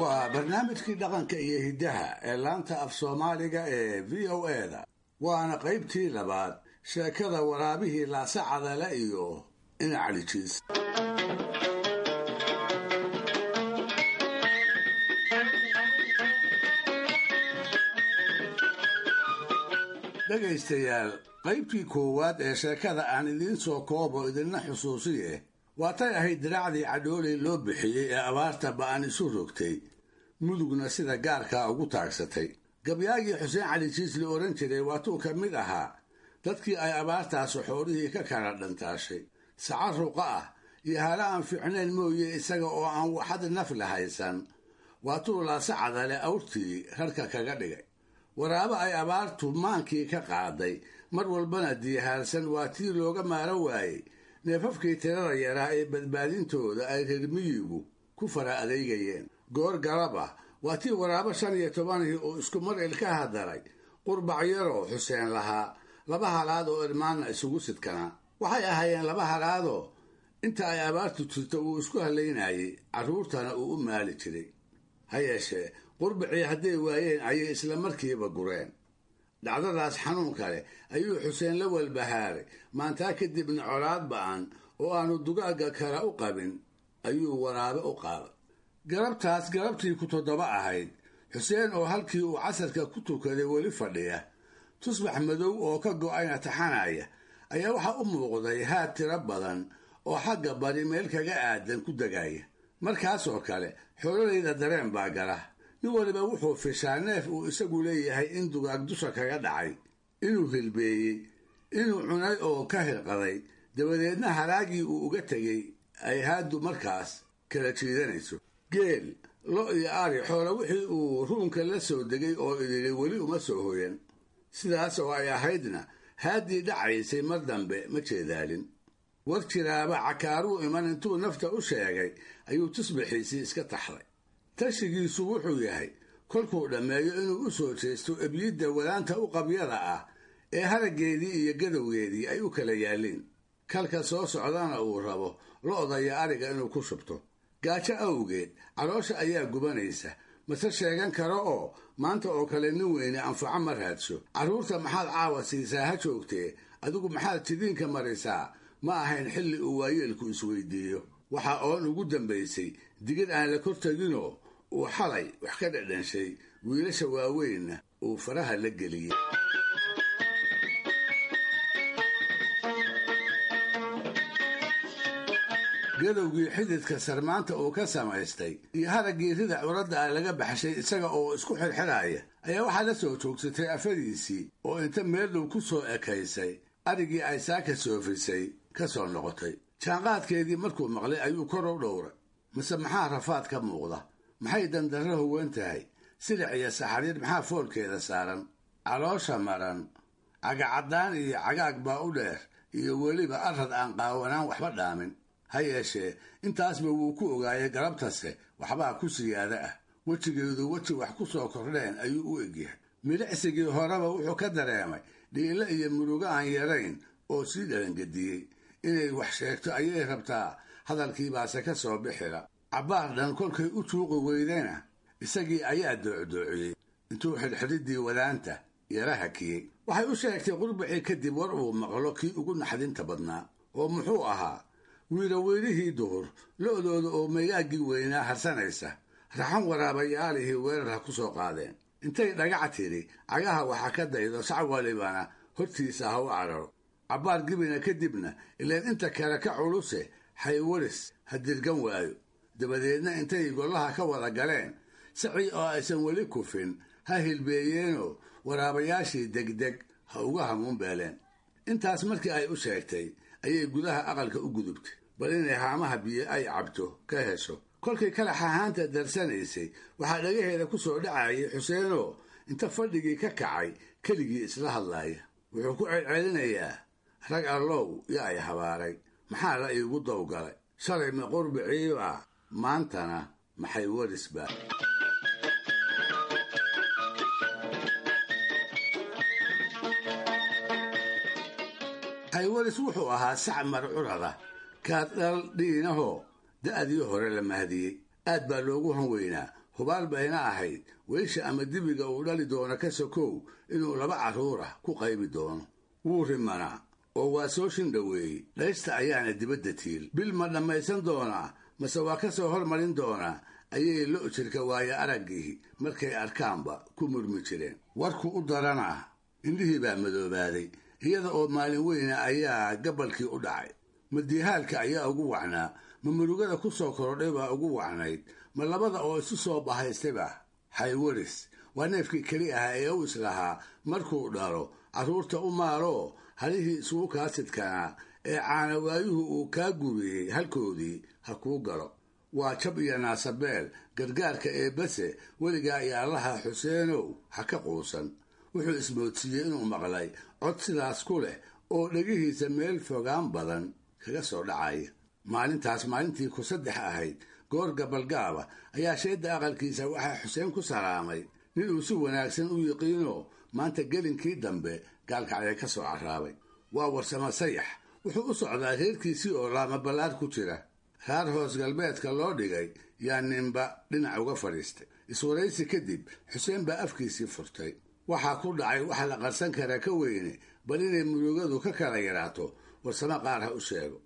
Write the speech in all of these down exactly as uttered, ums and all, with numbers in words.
Waa barnaamijkii dhaqanka iyo hiddaha ee laanta af Soomaaliga ee V O A da, waana qaybtii labaad sheekada waraabihii Laasacadale iyo Inacalijiis. Dhegaystayaal, qaybtii koowaad ee sheekada aan idiin soo koobo, idinna xusuusiye. Waatay ahayd diraacdii Cadhooley loo bixiyey ee abaarta ba'an isu rogtay, Mudugna sida gaarkaa ugu taagsatay. Gabyaagii Xuseen Cali Jiis la odhan jiray waatuu ka mid ahaa dadkii ay abaartaasu xoolihii ka kala dhantaashay. Saca ruqa ah iyo hala aan fiicnayn mooye, isaga oo aan waxad naf la haysan waatuu Laasacadale awrtii rarka kaga dhigay. Waraabo ay abaartu maankii ka qaaday, mar walbana diihaarsan, waa tii looga maaro waayey neefafkii tirada yaraa ee badbaadintooda ay reer miyigu ku fara adeegayeen. Goor galab ah waa tii waraabo shan iyo tobanihii uu isku mar ilkaha daray qurbac yaroo Xuseen lahaa, laba halaad oo irmaanna isugu sidkanaa. Waxay ahaayeen laba halaadoo inta ay abaartu jirto uu isku halaynayey, carruurtana uu u maali jiray. Ha yeeshee, qurbacii hadday waayeen ayay isla markiiba gureen. Dhacdadaas xanuun kale ayuu Xuseen la walbahaaray. Maantaa kadibna colaad ba'an oo aanu dugaagga kale u qabin ayuu waraabe u qaaday. Galabtaas galabtii ku toddoba ahayd, Xuseen oo halkii uu casarka ku tukaday weli fadhiya, tusbax madow oo ka go'ayna taxanaya, ayaa waxaa u muuqday haad tiro badan oo xagga bari meel kaga aadan ku degaya. Markaasoo kale xoolalayda dareen baa gala. Nin waliba wuxuu fishaa neef uu isagu leeyahay in dugaag dusha kaga dhacay, inuu hilbeeyey, inuu cunay oo ka hirqaday, dabadeedna halaagii uu uga tegey ay haaddu markaas kala jiidanayso. Geel, lo iyo ari, xoola wixii uu ruunka la soo degay oo idili weli uma soo hoyan. Sidaas oo ay ahaydna haaddii dhacaysay mar dambe ma jeedaalin. War jiraaba cakaaruu iman intuu nafta u sheegay ayuu tusbixiisii iska taxday. Tashigiisu wuxuu yahay kolkuu dhammeeyo inuu u soo jeesto ebyidda wadaanta u qabyada ah ee haraggeedii iyo gadowgeedii ay u kala yaalliin, kalka soo socdana uu rabo lo'da iyo ariga inuu ku shubto. Gaajo awgeed caloosha ayaa gubanaysa, mase sheegan karo oo maanta oo kale nin weyne anfaco ma raadsho. Carruurta maxaad caawa siisaa ha joogtee, adigu maxaad jidiinka marisaa ma ahayn xilli uu waayeelku isweydiiyo. Waxa oon ugu dambaysay digid aan la kor teginoo uu xalay wax ka dhadhanshay, wiilasha waaweynna uu faraha la geliyey. Gadowgii xididka sarmaanta uu ka samaystay iyo haraggii rida curadda ah laga baxshay isaga oo isku xirxiraya ayaa waxaa la soo joogsatay afadiisii oo inta meel dhow ku soo ekaysay arigii ay saaka soofisay ka soo noqotay. Jaanqaadkeedii markuu maqlay ayuu kor u dhowray. Mase maxaa rafaad ka muuqda? Maxay dandarro huwan tahay? Silic iyo saxariir maxaa foolkeeda saaran? Caloosha maran, cagacaddaan iyo cagaag baa u dheer, iyo weliba arrad aan qaawanaan waxba dhaamin. Ha yeeshee, intaasba wuu ku ogaayay, galabtase waxbaa ku siyaada ah. Wejigeedu weji wax ku soo kordheen ayuu u egyahay. Milicsigii horeba wuxuu ka dareemay dhiilo iyo murugo aan yarayn oo sii dhalangediyey. Inay wax sheegto ayay rabtaa, hadalkiibaase ka soo bixila. Cabbaar dhan kolkay u tuuqi weydayna isagii ayaa doocdoociyey intuu xidhxidhiddii wadaanta yara hakiyey. Waxay u sheegtay qurbacii kadib war uu maqlo kii ugu naxdinta badnaa. Oo muxuu ahaa? Wiiraweyrihii duhur lo'dooda oo meygaaggii weynaa harsanaysa, raxan waraabayaalihii weerar ha ku soo qaadeen. Intay dhagac tidhi cagaha waxa ka daydo, sac walibana hortiisa ha u cararo. Cabbaar gibina kadibna, ileen inta kale ka culuse, xaywaris ha dirgan waayo. Dabadeedna intay gollaha ka wada galeen sacii oo aysan weli kufin ha hilbeeyeenoo waraabayaashii degdeg ha uga hamuunbeeleen. Intaas markii ay u sheegtay ayay gudaha aqalka u gudubtay bal inay haamaha biyo ay cabto ka hesho. Kolkay kalax ahaanta darsanaysay waxaa dhagaheeda ku soo dhacayay Xuseenoo inta fadhigii ka kacay keligii isla hadlaaya. Wuxuu ku celcelinayaa: "Rag allow, yaa ay habaaray? Maxaa la iigu dawgalay? Shalay ma qurbiciibaa, maantana maxay warisba?" Xaywaris wuxuu ahaa sac marcurada Kaad dhal dhiinahoo da'dii hore la mahdiyey. Aad baa loogu hanweynaa, hubaal bayna ahayd weysha ama dibiga uu dhali doono ka sokow inuu laba carruur ah ku qaybi doono. Wuu rimanaa oo waa soo shindhoweeyey, dhaysta ayaana dibadda tiil. Bil ma dhammaysan doonaa mase waa ka soo hormarin doonaa ayay lo' jirka waayo araggii markay arkaanba ku murmi jireen. Warku u daranaa indhihii baa madoobaaday, iyada oo maalin weyna ayaa gabalkii u dhacay. Madiihaalka ayaa ugu wacnaa, ma murugada ku soo korodhay baa ugu wacnayd, ma labada oo isu soo bahaystayba. Xaywaris waa neefkii keli ahaa ee u islahaa markuu dhalo carruurta u maaloo halihii isugu kaasidkanaa ee caanawaayuhu uu kaa guriyey halkoodii ha kuu galo. Waa jab iyo naasabeel gargaarka eebbase weligaa iyo Allaha Xuseenow ha ka quusan. Wuxuu ismoodsiiyey inuu maqlay cod sidaas ku leh oo dhegihiisa meel fogaan badan kaga soo dhacaya. Maalintaas maalintii ku saddex ahayd goor gabalgaaba ayaa sheedda aqalkiisa waxaa Xuseen ku salaamay nin uu si wanaagsan u yiqiinoo maanta gelinkii dambe gaalkacya ka soo carraabay. Waa Warsamo Sayax. Wuxuu u socdaa reerkiisii oo laama ballaar ku jira. Raar hoos galbeedka loo dhigay yaa ninba dhinac uga fadhiistay. Iswaraysi kadib Xuseen baa afkiisii furtay. Waxaa ku dhacay waxa la qarsan karaa ka weyne, bal inay murugadu ka kala yaraato Warsamo qaar ha u sheego.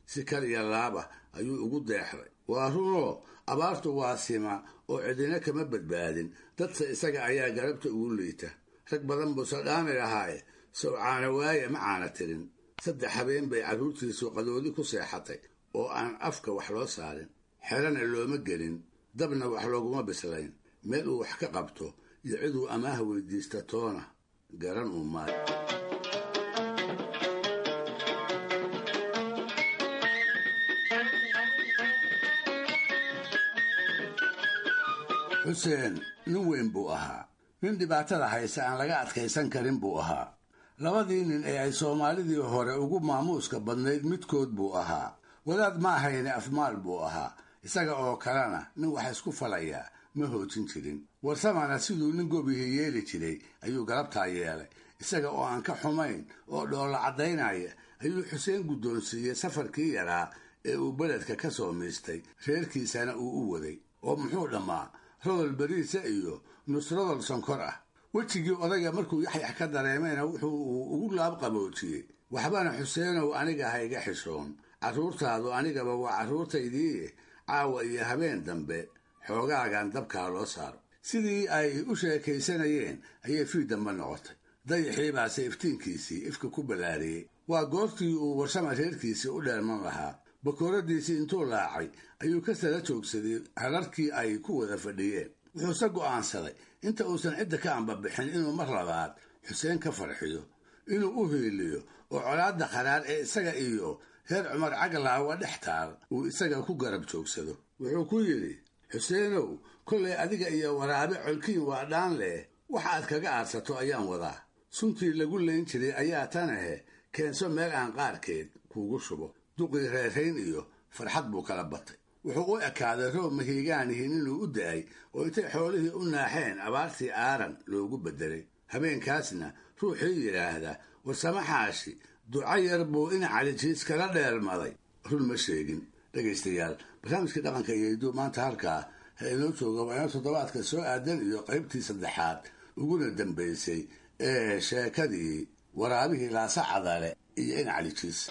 Si kal iyo laaba ayuu ugu deexday. Waa runoo abaartu waa sima oo cidina kama badbaadin, dadse isaga ayaa garabta ugu liita. Rag badan buuse dhaami lahaaye sow caana waaye ma caana tirin. Saddex habeen bay carruurtiisu qadoodi ku seexatay oo aan afka wax loo saarin, xerana looma gelin, dabna wax looguma bislayn. Meel uu wax ka qabto iyo ciduu amaah weydiista toona garan uu maayo. Xuseen nin weyn buu ahaa, nin dhibaatada haysa aan laga adkaysan karin buu ahaa. Labadii nin ee ay soomaalidii hore ugu maamuuska badnayd midkood buu ahaa. Wadaad ma ahayne afmaal buu ahaa, isaga oo kalena nin wax isku falayaa ma hoojin jirin. Warsamana siduu nin gobihii yeeli jiray ayuu galabtaa yeelay. Isaga oo aan ka xumayn oo dhoolla caddaynaya ayuu Xuseen guddoonsiiyey safarkii yaraa ee uu beledka ka soo miistay, reerkiisana uu u waday. Oo muxuu dhammaa rodol beriisa iyo nusrodol sonkor ah. Wejigii odayga markuu yaxyax ka dareemayna wuxuu uu ugu laabqaboojiyey, waxbana Xuseenow aniga ha iga xishoon, carruurtaadu anigaba waa carruurtaydii, caawa iyo habeen dambe xoogaagan dabkaa loo saaro. Sidii ay u sheekaysanayeen ayay fii dambe noqotay. Dayaxii baase iftiinkiisii ifka ku ballaariyey. Waa goortii uu Warsama reerkiisii u dheerman lahaa. Bakooradiisii intuu laacay ayuu ka sala joogsaday hararkii ay ku wada fadhiyeen. Wuxuuse go'aansaday inta uusan cidda ka ambabixin inuu mar labaad Xuseen ka farxiyo, inuu u hiiliyo oo colaadda qaraar ee isaga iyo reer Cumar Caglaawa dhex taal uu isaga ku garab joogsado. Wuxuu ku yidhi, Xuseenow, kollay adiga iyo waraabe colkiin waa dhaan leh, wax aad kaga aadsato ayaan wadaa. Suntii lagu layn jiray ayaa tan ahe, keenso meel aan qaarkeed kuugu shubo. Duqii reerayn iyo farxad buu kala batay. Wuxuu u ekaaday roob mahiigaanihin inuu u da'ay oo intay xoolihii u naaxeen abaartii aaran loogu beddelay. Habeenkaasna ruuxii yidhaahda Warsamo Xaashi duco yar buu ina Calijiis kala dheelmaday run ma sheegin. Dhegaystayaal, barnaamijkii dhaqanka iyo hidduu maanta halkaa ha inoo jooga. Waa inoo toddobaadka soo aadan iyo qaybtii saddexaad uguna dambaysay ee sheekadii waraabihii Laasa Cadale iyo ina Calijiis.